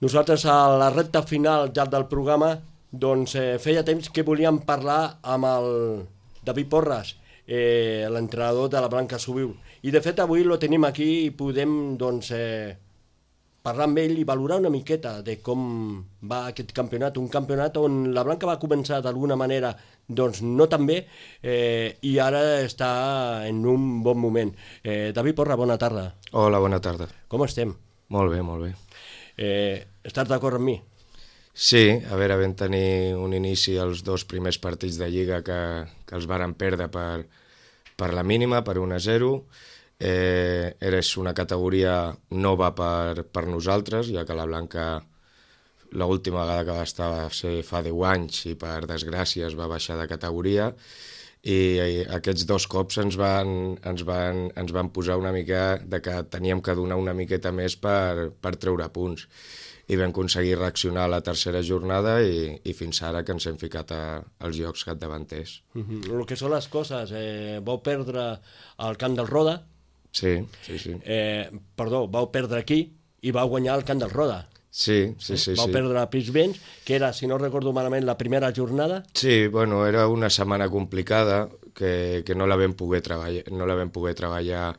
Nosaltres a la recta final ja del programa doncs feia temps que volíem parlar amb el David Porras, l'entrenador de la Blanca Subiu. I de fet avui lo tenim aquí i podem doncs, parlar amb ell i valorar una miqueta de com va aquest campionat, un campionat on la Blanca va començar d'alguna manera doncs no tan bé i ara està en un bon moment. David Porras, bona tarda. Hola, bona tarda. Com estem? Molt bé, molt bé. Estàs d'acord amb mi? Sí, a veure, vam tenir un inici als 2 primers partits de Lliga que els varen perdre per la mínima, per 1-0. Era una categoria nova per nosaltres, ja que la Blanca l'última vegada que va estar va ser fa 10 anys i per desgràcia es va baixar de categoria, i aquests 2 cops ens van posar una mica de que teníem que donar una miqueta més per treure punts, i vam aconseguir reaccionar a la tercera jornada i fins ara que ens hem ficat als llocs capdavanters. El que són les coses, vau perdre al Camp del Roda. Sí. Vau perdre aquí i vau guanyar al Camp del Roda. Sí. Vau perdre a Pinsbens, que era, si no recordo malament, la primera jornada. Sí, bueno, era una setmana complicada que no la vam poder treballar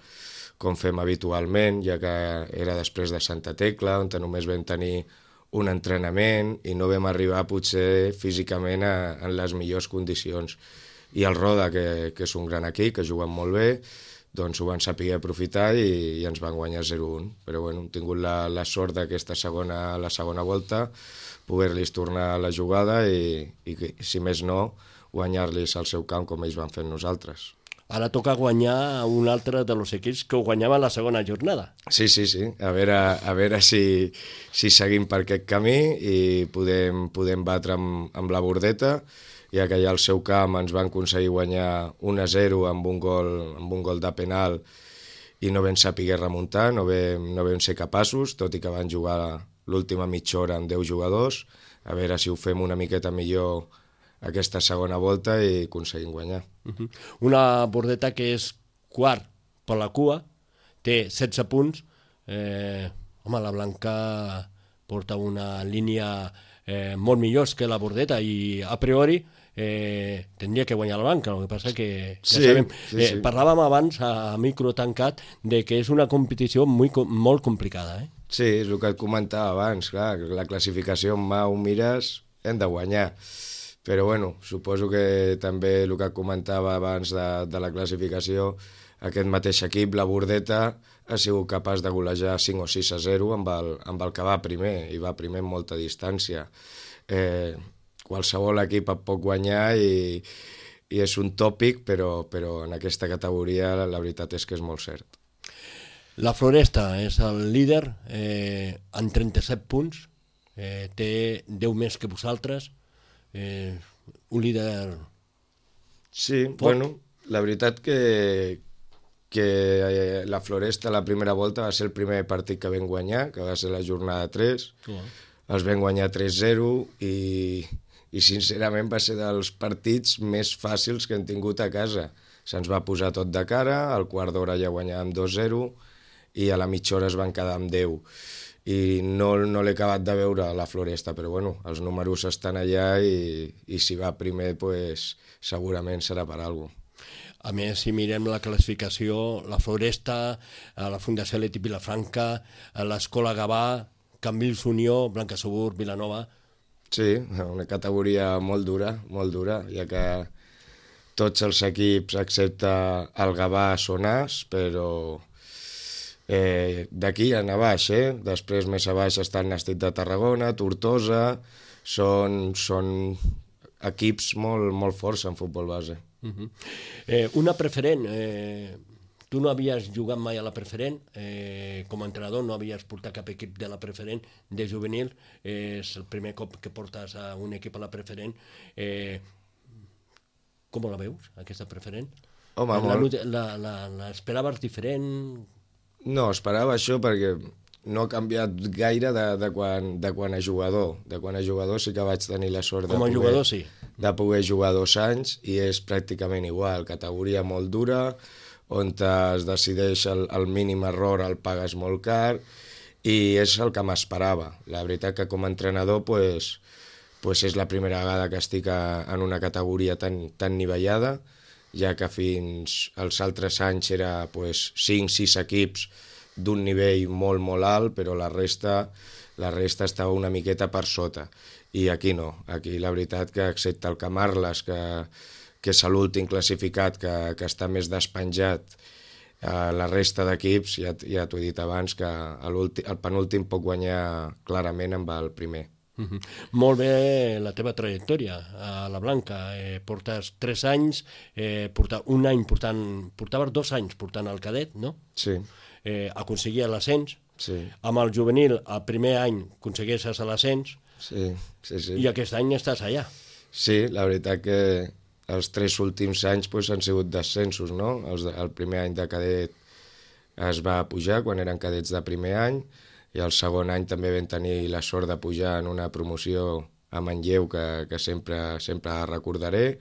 com fem habitualment, ja que era després de Santa Tecla, on només vam tenir un entrenament i no vam arribar potser físicament en les millors condicions. I el Roda, que és un gran equip, que juguen molt bé, doncs ho van saber aprofitar i ens van guanyar 0-1. Però bueno, hem tingut la sort d'aquesta la segona volta, poder-los tornar a la jugada i, si més no, guanyar-los al seu camp com ells van fer nosaltres. Ara toca guanyar un altre dels equips que ho guanyaven la segona jornada. Sí. A veure si seguim per aquest camí i podem batre amb la Bordeta, ja que allà al seu camp ens van aconseguir guanyar 1-0 amb un gol de penal i no vam saber remuntar, no vam ser capaços, tot i que van jugar l'última mitja hora amb 10 jugadors. A veure si ho fem una miqueta millor aquesta segona volta i aconseguim guanyar. Una Bordeta que és quart per la cua, té 16 punts. La Blanca porta una línia molt millor que la Bordeta i a priori tindria que guanyar la Blanca. El que passa que ja sabem, parlàvem abans a micro tancat de que és una competició molt complicada. Sí, és el que et comentava abans, clar, la classificació en mà ho mires, hem de guanyar. Però bueno, suposo que també el que comentava abans de la classificació, aquest mateix equip, la Bordeta, ha sigut capaç de golejar 5 o 6-0 amb el que va primer, i va primer amb molta distància. Qualsevol equip et pot guanyar i és un tòpic, però en aquesta categoria la veritat és que és molt cert. La Floresta és el líder amb 37 punts, té 10 més que vosaltres, un líder... Sí, bueno, la veritat que la Floresta la primera volta va ser el primer partit que vam guanyar, que va ser la jornada 3, els vam guanyar 3-0 i sincerament va ser dels partits més fàcils que hem tingut a casa. Se'ns va posar tot de cara, al quart d'hora ja guanyàvem 2-0 i a la mitja hora es van quedar amb 10. I no l'he acabat de veure a la Floresta, però bueno, els números estan allà i si va primer pues, segurament serà per alguna cosa. A més, si mirem la classificació, la Floresta, la Fundació Leti Vilafranca, l'Escola Gavà, Cambrils Unió, Blanca Subur, Vilanova... Sí, una categoria molt dura, ja que tots els equips excepte el Gavà són As, però... d'aquí a baix, després més a baix està el Nàstic de Tarragona, Tortosa, són equips molt forts en futbol base. Una preferent, tu no havies jugat mai a la preferent, com a entrenador no havies portat cap equip de la preferent de juvenil, és el primer cop que portes a un equip a la preferent. Com la veus, aquesta preferent? Home, molt. L'esperaves diferent? No, esperava això perquè no ha canviat gaire de quan a jugador. De quan a jugador sí que vaig tenir la sort de poder jugar 2 anys i és pràcticament igual. Categoria molt dura, on es decideix el mínim error el pagues molt car i és el que m'esperava. La veritat que com a entrenador pues és la primera vegada que estic en una categoria tan nivellada, ja que fins als altres anys era 5-6 equips d'un nivell molt, molt alt, però la resta estava una miqueta per sota. I aquí no, aquí la veritat que excepte el Camarles, que és l'últim classificat, que està més despenjat, la resta d'equips, ja t'ho he dit abans, que el penúltim pot guanyar clarament amb el primer. Molt bé la teva trajectòria a la Blanca. Portes 3 anys, portaves 2 anys portant el cadet, no? Sí. Aconseguia l'ascens. Sí. Amb el juvenil, el primer any aconsegueixes l'ascens. Sí. I aquest any estàs allà. Sí, la veritat que els 3 últims anys han sigut descensos, no? El primer any de cadet es va pujar quan eren cadets de primer any, i el segon any també vam tenir la sort de pujar en una promoció a Manlleu que sempre recordaré,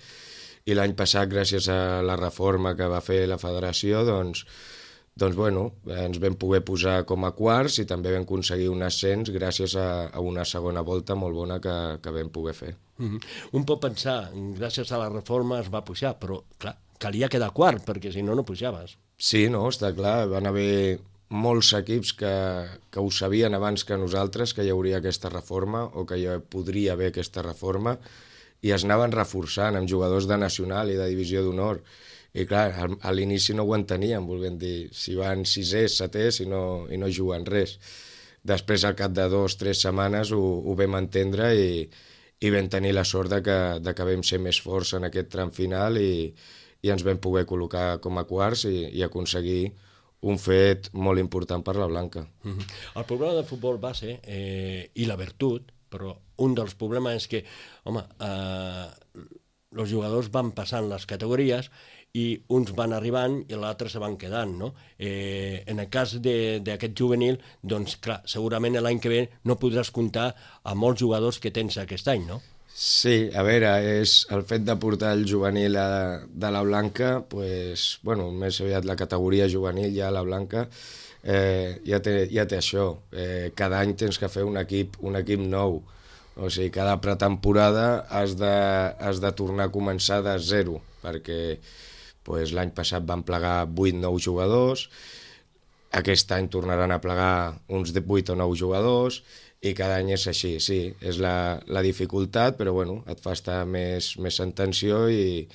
i l'any passat, gràcies a la reforma que va fer la federació, doncs bueno, ens vam poder posar com a quarts i també vam aconseguir un ascens gràcies a una segona volta molt bona que vam poder fer. Un pot pensar, gràcies a la reforma es va pujar, però clar, calia quedar quart, perquè si no, no pujaves. Sí, no, està clar, van haver molts equips que ho sabien abans que nosaltres, que hi hauria aquesta reforma o que hi podria haver aquesta reforma, i es anaven reforçant amb jugadors de nacional i de divisió d'honor. I clar, a l'inici no ho enteníem, volguem dir, si van 6è, 7è i no juguen res. Després, al cap de 2 o 3 setmanes, ho vam entendre i vam tenir la sort de que vam ser més forts en aquest tram final i ens vam poder col·locar com a quarts i aconseguir un fet molt important per la Blanca. El problema del futbol base i la virtut, però un dels problemes és que, home, els jugadors van passant les categories i uns van arribant i l'altre se van quedant, no? En el cas d'aquest juvenil, doncs clar, segurament l'any que ve no podràs comptar amb molts jugadors que tens aquest any, no? Sí, a veure, és el fet de portar el juvenil de la Blanca, pues, bueno, més aviat la categoria juvenil ja a la Blanca, ja té això. Cada any tens que fer un equip nou. O sigui, cada pretemporada has de tornar a començar de zero, perquè l'any passat van plegar 8 o 9 jugadors, aquest any tornaran a plegar uns 8 o 9 jugadors, i cada any és així, sí, és la dificultat, però bueno, et fa estar més en tensió i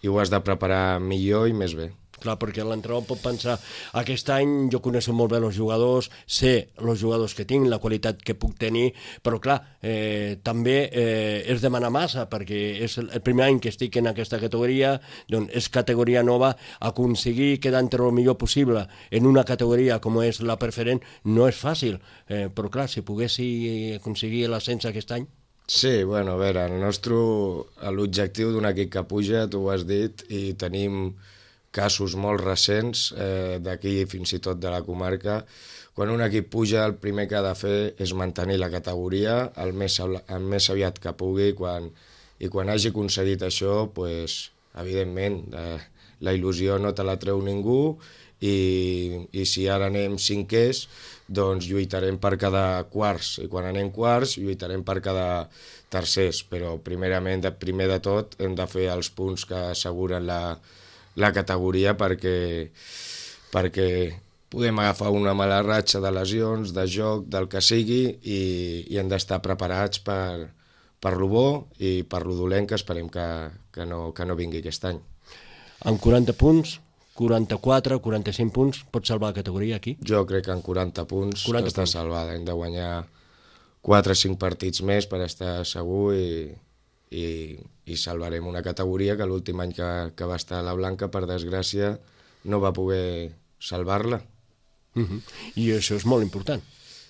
ho has de preparar millor i més bé. Clar, perquè l'entrenador pot pensar, aquest any jo coneixo molt bé els jugadors, sé els jugadors que tinc, la qualitat que puc tenir, però clar, també és demanar massa, perquè és el primer any que estic en aquesta categoria, doncs és categoria nova, aconseguir quedar entre el millor possible en una categoria com és la preferent no és fàcil, però clar, si poguessi aconseguir l'ascens aquest any... Sí, bueno, a veure, l'objectiu d'un equip que puja, tu ho has dit, i tenim casos molt recents d'aquí fins i tot de la comarca. Quan un equip puja, el primer que ha de fer és mantenir la categoria el més aviat que pugui, i quan hagi aconseguit això, evidentment, la il·lusió no te la treu ningú, i si ara anem 5è, doncs lluitarem per cada quarts, i quan anem quarts lluitarem per cada tercers, però primer de tot hem de fer els punts que asseguren la categoria perquè podem agafar una mala ratxa de lesions, de joc, del que sigui, i hem d'estar preparats per lo bo i per lo dolent, que esperem que no vingui aquest any. Amb 40 punts, 44, 45 punts, pots salvar la categoria aquí? Jo crec que amb 40 punts està salvada. Hem de guanyar 4 o 5 partits més per estar segur i salvarem una categoria que l'últim any que va estar a la Blanca, per desgràcia, no va poder salvar-la. I això és molt important.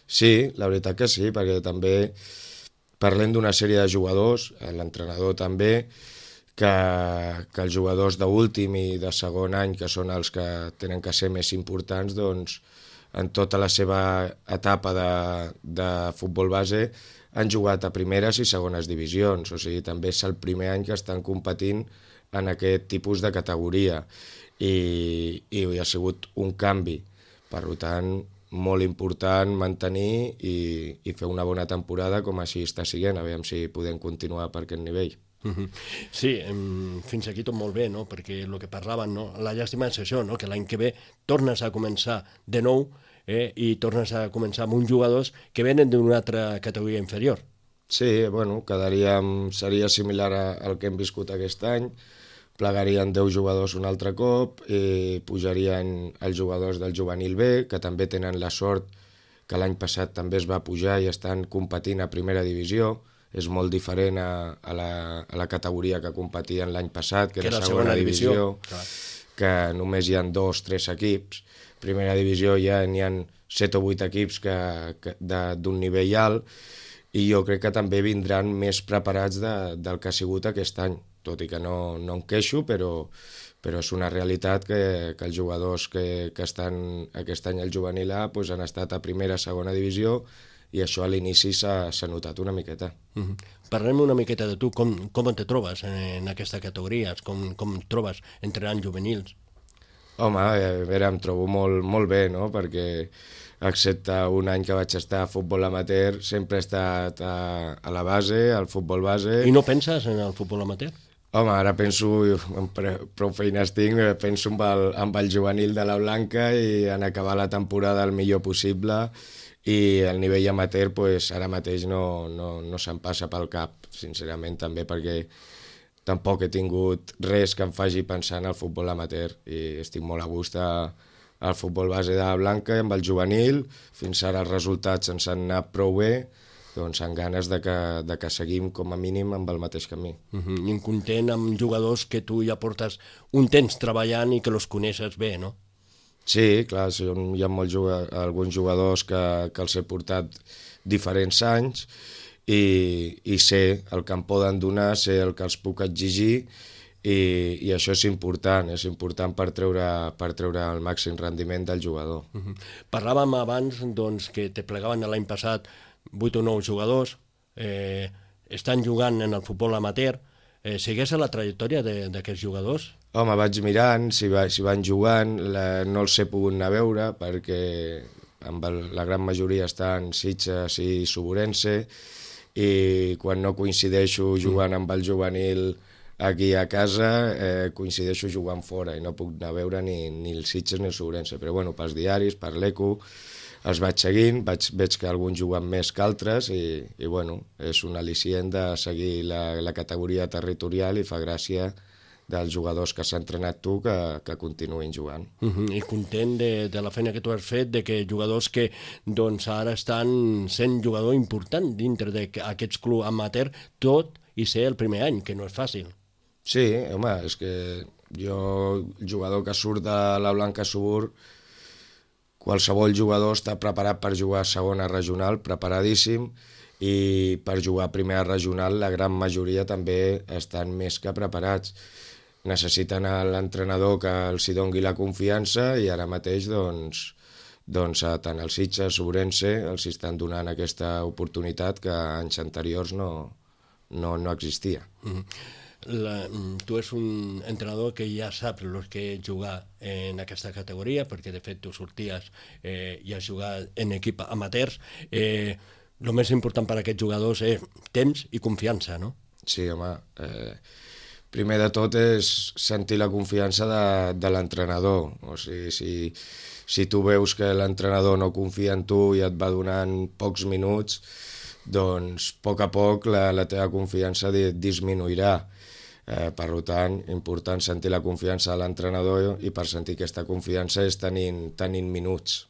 Sí, la veritat que sí, perquè també parlem d'una sèrie de jugadors, l'entrenador també, que els jugadors d'últim i de segon any, que són els que tenen que ser més importants, doncs en tota la seva etapa de futbol base han jugat a primeres i segones divisions, o sigui, també és el primer any que estan competint en aquest tipus de categoria i ha sigut un canvi. Per tant, molt important mantenir i fer una bona temporada com així està siguent, aviam si podem continuar per aquest nivell. Sí, fins aquí tot molt bé, no? Perquè el que parlaven, no? La llàstima és això, no? Que l'any que ve tornes a començar de nou i tornes a començar amb uns jugadors que venen d'una altra categoria inferior. Sí, bueno, seria similar al que hem viscut aquest any, plegarien 10 jugadors un altre cop i pujarien els jugadors del juvenil B, que també tenen la sort que l'any passat també es va pujar i estan competint a primera divisió. És molt diferent a la categoria que competien l'any passat, que era segona divisió, que només hi ha 2 o 3 equips. Primera divisió ja n'hi ha 7 o 8 equips d'un nivell alt, i jo crec que també vindran més preparats del que ha sigut aquest any, tot i que no em queixo, però és una realitat que els jugadors que estan aquest any al juvenil A han estat a primera, segona divisió, i això a l'inici s'ha notat una miqueta. Parlem una miqueta de tu, com te trobes en aquesta categoria, com trobes entrenant juvenils? Home, a veure, em trobo molt bé, no?, perquè excepte un any que vaig estar a futbol amateur, sempre he estat a la base, al futbol base. I no penses en el futbol amateur? Home, ara penso, prou feines tinc, penso amb el juvenil de la Blanca i en acabar la temporada el millor possible, i el nivell amateur ara mateix no se'm passa pel cap, sincerament, també perquè tampoc he tingut res que em faci pensar en el futbol amateur i estic molt a gust al futbol base de la Blanca i amb el juvenil. Fins ara els resultats ens han anat prou bé, doncs amb ganes de que seguim com a mínim amb el mateix camí. I content amb jugadors que tu ja portes un temps treballant i que els coneixes bé, no? Sí, clar, hi ha alguns jugadors que els he portat diferents anys i sé el que em poden donar, sé el que els puc exigir, i això és important per treure el màxim rendiment del jugador. Parlàvem abans que te plegaven l'any passat 8 o 9 jugadors, estan jugant en el futbol amateur. Segueix la trajectòria d'aquests jugadors? Home, vaig mirant si van jugant, no els he pogut anar a veure perquè la gran majoria estan Sitges i Suburense, i quan no coincideixo jugant amb el juvenil aquí a casa, coincideixo jugant fora i no puc anar a veure ni el Sitges ni el Suburense, però bueno, pels diaris, per l'ECO, els vaig seguint, veig que alguns juguen més que altres i bueno, és un al·licient de seguir la categoria territorial i fa gràcia dels jugadors que s'han entrenat tu que continuïn jugant. I content de la feina que tu has fet, de que jugadors que ara estan sent jugador important dintre d'aquests clubs amateur, tot i ser el primer any, que no és fàcil. Sí, home, és que jo, el jugador que surt de la Blanca Subur, qualsevol jugador està preparat per jugar a segona regional, preparadíssim, i per jugar a primera regional la gran majoria també estan més que preparats. Necessiten l'entrenador que els hi doni la confiança i ara mateix tant el Sitges, Ourense, els estan donant aquesta oportunitat que anys anteriors no existia. Tu ets un entrenador que ja saps el que és jugar en aquesta categoria, perquè de fet tu sorties i has jugat en equip amateurs. El més important per a aquests jugadors és temps i confiança, no? Sí, home. Primer de tot és sentir la confiança de l'entrenador. O sigui, si tu veus que l'entrenador no confia en tu i et va donant pocs minuts, doncs a poc la teva confiança disminuirà. Per tant, important sentir la confiança de l'entrenador i per sentir aquesta confiança és tenint minuts.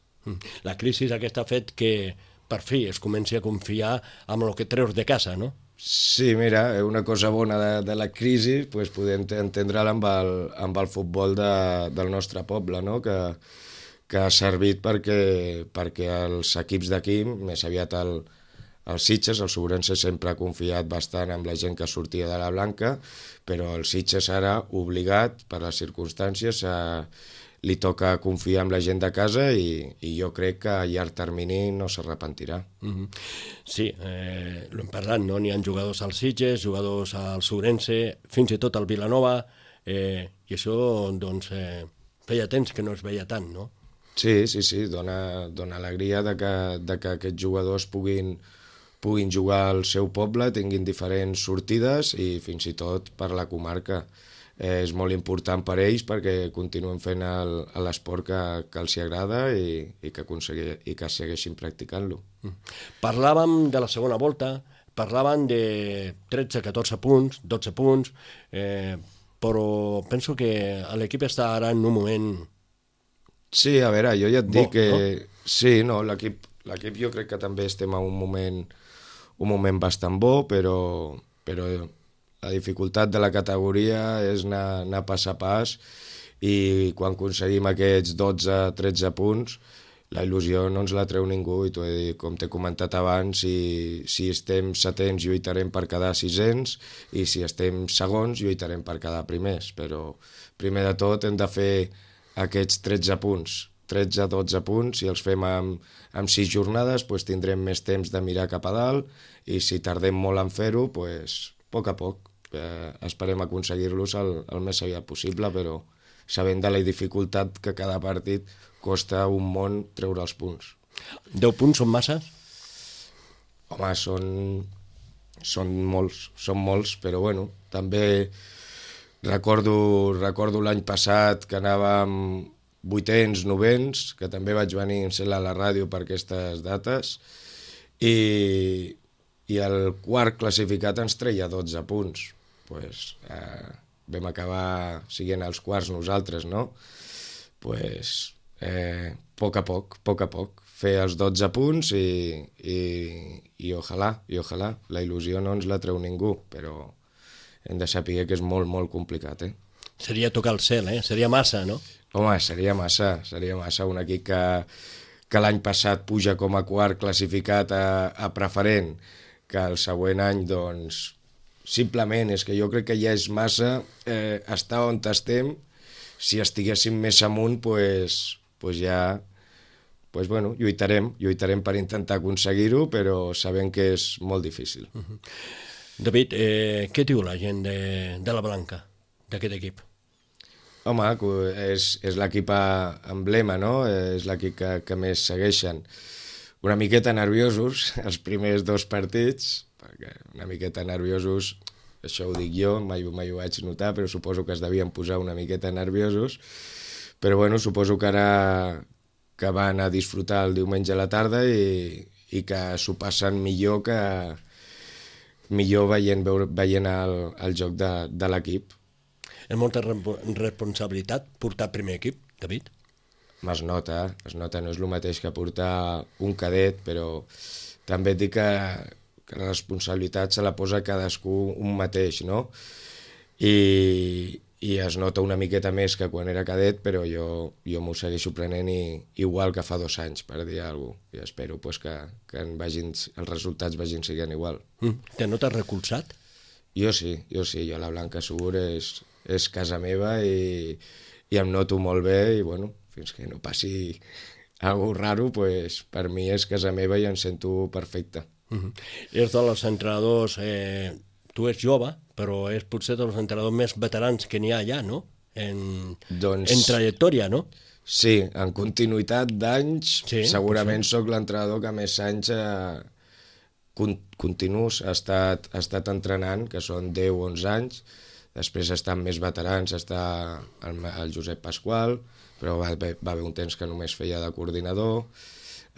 La crisi aquesta ha fet que per fi es comenci a confiar amb el que treus de casa, no? Sí, mira, una cosa bona de la crisi podem entendre-la amb el futbol del nostre poble, no? Que ha servit perquè els equips d'aquí, més aviat el Sitges, el Suburense sempre ha confiat bastant amb la gent que sortia de la Blanca, però el Sitges ara, obligat per les circumstàncies, li toca confiar en la gent de casa i jo crec que a llarg termini no s'arrepentirà. Sí, l'hem parlat, no? N'hi ha jugadors al Sitges, jugadors al Suburense, fins i tot al Vilanova, i això, feia temps que no es veia tant, no? Sí, dona alegria de que aquests jugadors puguin jugar al seu poble, tinguin diferents sortides i fins i tot per la comarca. És molt important per ells perquè continuen fent l'esport que els agrada i que segueixin practicant-lo. Parlàvem de la segona volta, parlaven de 13-14 punts, 12 punts, però penso que l'equip està ara en un moment... Sí, a veure, jo ja et dic que... no? Sí, no, l'equip jo crec que també estem en un moment bastant bo, però la dificultat de la categoria és anar pas a pas i quan aconseguim aquests 12-13 punts la il·lusió no ens la treu ningú i com t'he comentat abans, si estem setents lluitarem per quedar sisens i si estem segons lluitarem per quedar primers, però primer de tot hem de fer aquests 13 punts, 13-12 punts, si els fem amb 6 jornades doncs tindrem més temps de mirar cap a dalt i si tardem molt en fer-ho, doncs, a poc, esperem aconseguir-los el més aviat possible, però sabent de la dificultat que cada partit costa un món treure els punts. 10 punts són massa? Home, són molts, però bueno, també recordo l'any passat que anàvem 8ens, 9ens, que també vaig venir a la ràdio per aquestes dates, i el quart classificat ens treia 12 punts. Pues, vam acabar siguent els quarts nosaltres, no? Pues, poc a poc, fer els 12 punts i ojalà, la il·lusió no ens la treu ningú, però hem de saber que és molt, molt complicat, Seria tocar el cel, Seria massa, no? Home, seria massa un equip que l'any passat puja com a quart classificat a preferent, que el següent any, doncs, simplement és que jo crec que ja és massa estar on estem. Si estiguéssim més amunt, pues ja bueno, lluitarem per intentar aconseguir-ho, però sabem que és molt difícil. David, què diu la gent de la Blanca, d'aquest equip? Home, és l'equip emblema, no? És l'equip que més segueixen. Una miqueta nerviosos els primers 2 partits, perquè una miqueta nerviosos, això ho dic jo, mai ho vaig notar, però suposo que es devien posar una miqueta nerviosos, però bueno, suposo que ara que van a disfrutar el diumenge a la tarda i que s'ho passen millor veient el joc de l'equip. És molta responsabilitat portar primer equip, David? Es nota, no és el mateix que portar un cadet, però també et dic que la responsabilitat se la posa cadascú un mateix, no? I es nota una miqueta més que quan era cadet, però jo m'ho segueixo prenent igual que fa 2 anys, per dir alguna cosa. I espero que els resultats vagin sent igual. Te notes recolzat? Jo sí, jo la Blanca Segur és casa meva i em noto molt bé i bueno, fins que no passi alguna cosa raro, pues, per mi és casa meva i em sento perfecte. És dels entrenadors, tu ets jove, però és potser dels entrenadors més veterans que n'hi ha allà, no? En trajectòria, no? Sí, en continuïtat d'anys, sí, segurament sóc l'entrenador que més anys continus ha estat entrenant, que són 10-11 anys. Després estan més veterans, està el Josep Pasqual, però va haver un temps que només feia de coordinador,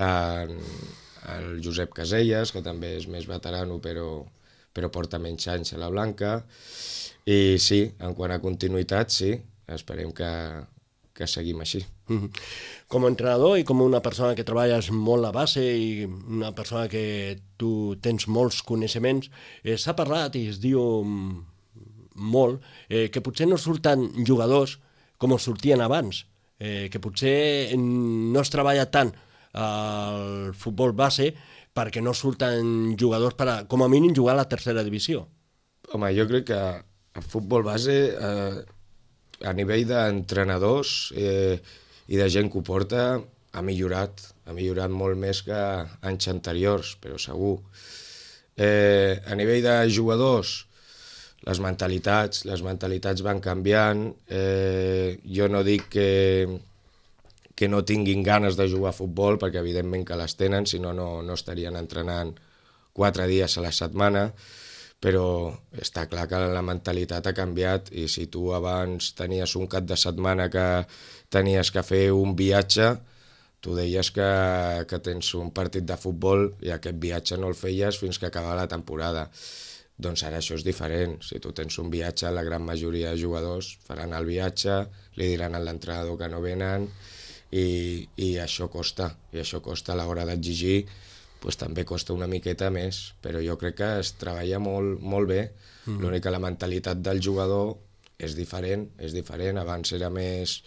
el Josep Caselles, que també és més veterano, però porta menys anys a la Blanca, i sí, en quant a continuïtat, sí, esperem que seguim així. Com a entrenador i com una persona que treballes molt a base i una persona que tu tens molts coneixements, s'ha parlat i es diu molt, que potser no surten jugadors com els sortien abans, que potser no es treballa tant al futbol base perquè no surten jugadors per com a mínim jugar a la tercera divisió. Home, jo crec que el futbol base a nivell d'entrenadors i de gent que ho porta ha millorat molt més que anys anteriors, però segur. A nivell de jugadors, les mentalitats van canviant. Jo no dic que no tinguin ganes de jugar a futbol, perquè evidentment que les tenen, si no, no estarien entrenant 4 dies a la setmana, però està clar que la mentalitat ha canviat i si tu abans tenies un cap de setmana que tenies que fer un viatge, tu deies que tens un partit de futbol i aquest viatge no el feies fins que acabava la temporada. Doncs ara això és diferent. Si tu tens un viatge, la gran majoria de jugadors faran el viatge, li diran a l'entrenador que no venen i això costa. I això costa a l'hora d'exigir, doncs també costa una miqueta més, però jo crec que es treballa molt, molt bé. L'únic que la mentalitat del jugador és diferent. Abans era més...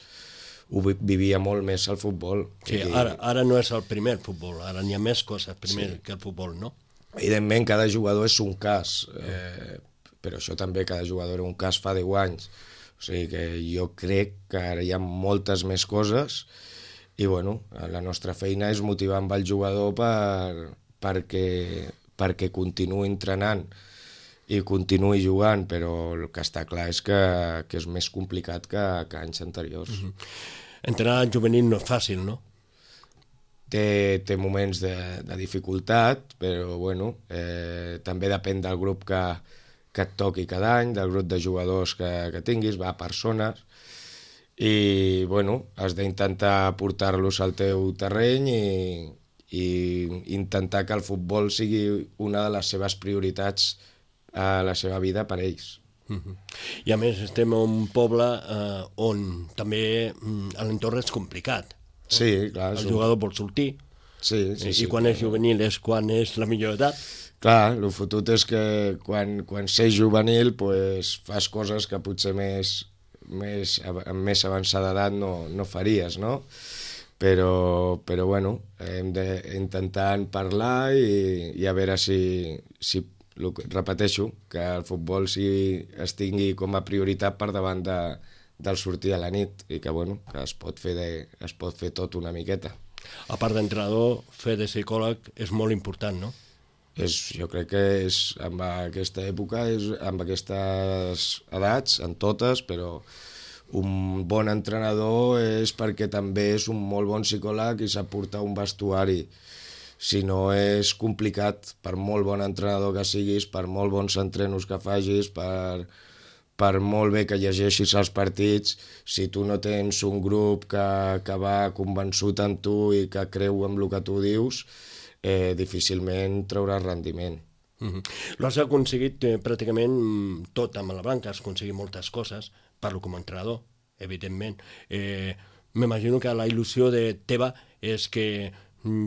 ho vivia molt més el futbol. Sí, ara no és el primer futbol, ara n'hi ha més coses primer que el futbol, no? Evidentment, cada jugador és un cas, però això també, cada jugador era un cas fa 10 anys. O sigui que jo crec que ara hi ha moltes més coses i, bueno, la nostra feina és motivar amb el jugador perquè continuï entrenant i continuï jugant, però el que està clar és que és més complicat que anys anteriors. Entrenar en juvenil no és fàcil, no? Té moments de dificultat, però bueno, també depèn del grup que et toqui cada any, del grup de jugadors que tinguis, va a persones, i bueno, has d'intentar portar-los al teu terreny i intentar que el futbol sigui una de les seves prioritats a la seva vida per ells. I a més estem en un poble on també l'entorn és complicat. Sí, clar. El jugador vol sortir, sí. I quan és juvenil és quan és la millor edat. Clar, el fotut és que quan sei juvenil pues, fas coses que potser amb més avançada edat no faries, no? Però bueno, hem d'intentar parlar i a veure si repeteixo, que el futbol es tingui com a prioritat per davant del sortir a la nit i que, bueno, que es pot fer tot una miqueta. A part d'entrenador, fer de psicòleg és molt important, no? Jo crec que en aquesta època, amb aquestes edats, en totes, però un bon entrenador és perquè també és un molt bon psicòleg i sap portar un vestuari. Si no, és complicat, per molt bon entrenador que siguis, per molt bons entrenos que facis, per molt bé que llegeixis els partits, si tu no tens un grup que va convençut en tu i que creu en el que tu dius, difícilment trauràs rendiment. Lo has aconseguit pràcticament tot amb la Blanca, has aconseguit moltes coses, parlo com a entrenador, evidentment. M'imagino que la il·lusió teva és que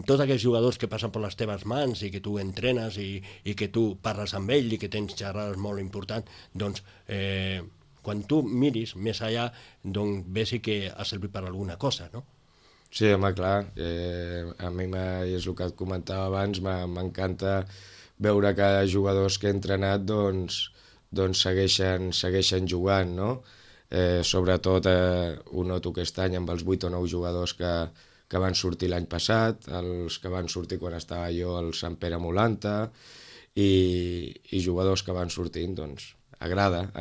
tots aquells jugadors que passen per les teves mans i que tu entrenes i que tu parles amb ell i que tens xerrades molt importants, doncs quan tu miris més allà, doncs vegi que ha servit per alguna cosa, no? Sí, home, clar. A mi és el que et comentava abans, m'encanta veure que jugadors que he entrenat doncs segueixen jugant, no? Sobretot ho noto aquest any amb els 8 o 9 jugadors que van sortir l'any passat, els que van sortir quan estava jo al Sant Pere Molanta i jugadors que van sortint, doncs agrada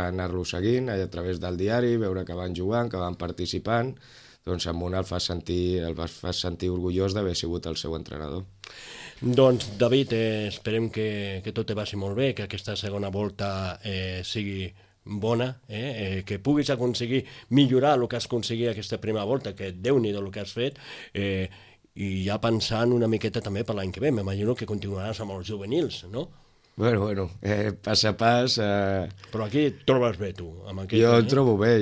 anar-los seguint a través del diari, veure que van jugant, que van participant, doncs amb un el fas sentir orgullós d'haver sigut el seu entrenador. Doncs David, esperem que tot te vagi molt bé, que aquesta segona volta sigui bona, que puguis aconseguir millorar el que has aconseguit aquesta primera volta, que Déu-n'hi-do el que has fet, i ja pensant una miqueta també per l'any que ve, m'imagino que continuaràs amb els juvenils, no? Bueno, pas a pas... Però aquí et trobes bé, tu? Jo em trobo bé,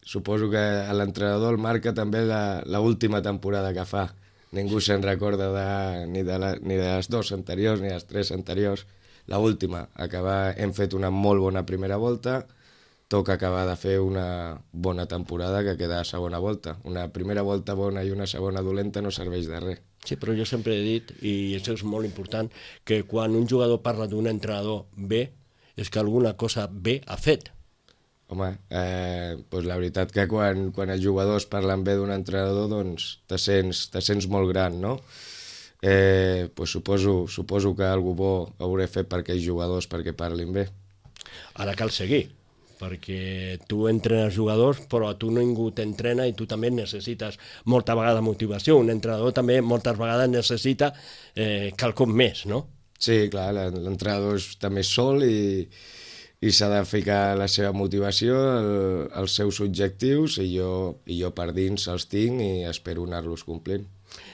suposo que a l'entrenador el marca també l'última temporada que fa. Ningú se'n recorda ni de les 2 anteriors ni de les 3 anteriors. L'última, hem fet una molt bona primera volta, toca acabar de fer una bona temporada que queda a segona volta. Una primera volta bona i una segona dolenta no serveix de res. Sí, però jo sempre he dit, i això és molt important, que quan un jugador parla d'un entrenador bé, és que alguna cosa bé ha fet. Home, doncs la veritat que quan els jugadors parlen bé d'un entrenador, doncs te sents molt gran, no? Doncs suposo que algú bo hauré fet per aquells jugadors perquè parlin bé. Ara cal seguir, perquè tu entrenes jugadors, però a tu ningú t'entrena i tu també necessites molta vegada motivació. Un entrenador també moltes vegades necessita quelcom més, no? Sí, clar, l'entrenador també és sol i s'ha de ficar la seva motivació, els seus objectius, i jo per dins els tinc i espero anar-los complint.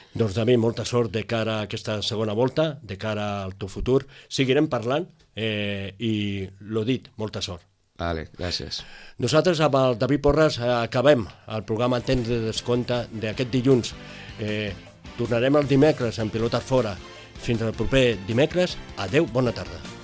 Doncs David, molta sort de cara a aquesta segona volta, de cara al teu futur. Seguirem parlant i, lo dit, molta sort. Vale, gràcies. Nosaltres amb el David Porras acabem el programa Temps de Descompte d'aquest dilluns. Tornarem el dimecres en Pilotes Fora. Fins al proper dimecres. Adeu, bona tarda.